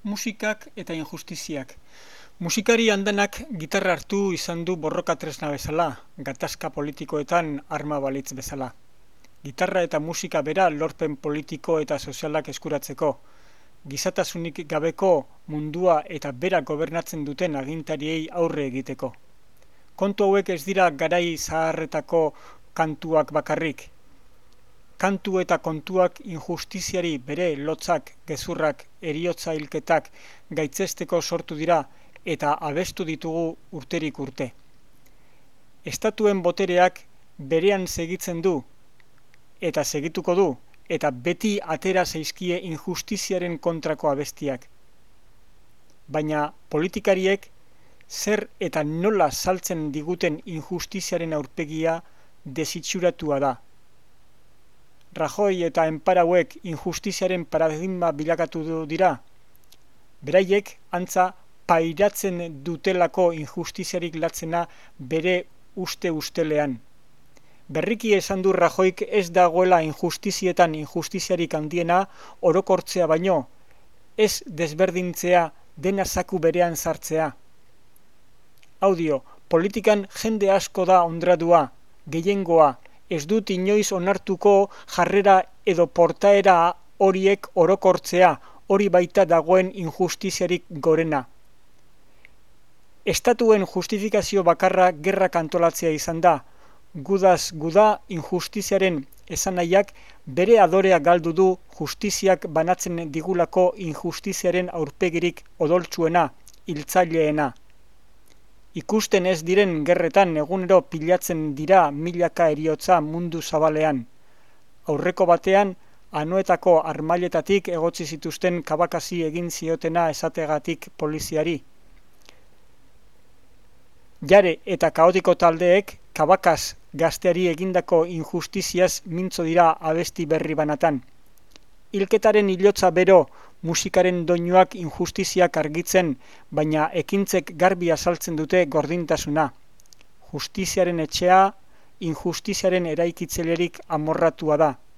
Musikak eta injustiziak. Musikari andanak gitarra hartu izan du borroka tresna bezala, gatazka politikoetan arma balitz bezala. Gitarra eta musika bera lorpen politiko eta sozialak eskuratzeko. Gizatasunik gabeko mundua eta bera gobernatzen duten agintariei aurre egiteko. Kontu hauek ez dira garai zaharretako kantuak bakarrik. Kantu eta kontuak injustiziari bere lotzak, gezurrak, heriotza hilketak gaitzesteko sortu dira eta abestu ditugu urterik urte. Estatuen botereak berean segitzen du eta segituko du eta beti atera zaizkie injustiziaren kontrako abestiak. Baina politikariek zer eta nola saltzen diguten injustiziaren aurpegia desitxuratua da. Rajoy eta enparauek injustiziaren paradigma bilakatu dira. Beraiek antza pairatzen dutelako injustiziarik latzena bere ustelean. Berriki esan du Rajoyk ez dagoela injustizietan injustiziarik handiena orokortzea baino, ez desberdintzea dena zaku berean sartzea. Audio, politikan jende asko da ondradua, gehiengoa, ez dut inoiz onartuko jarrera edo portaera horiek orokortzea, hori baita dagoen injustiziarik gorena. Estatuen justifikazio bakarra gerrak antolatzea izan da, gudaz guda injustiziaren esanahiak bere adorea galdu du justiziak banatzen digulako injustiziaren aurpegirik odoltsuena, hiltzaileena. Ikusten ez diren gerretan egunero pilatzen dira milaka heriotza mundu zabalean. Aurreko batean, Anoetako armailetatik egotzi zituzten kabakasi egin ziotena esategatik poliziari. Jare eta kaotiko taldeek Kabakaz gazteari egindako injustiziaz mintzo dira abesti berri banatan. Hilketaren hilotza bero, musikaren doinuak injustiziak argitzen, baina ekintzek garbi azaltzen dute gordintasuna. Justiziaren etxea, injustiziaren eraikitzailerik amorratua da.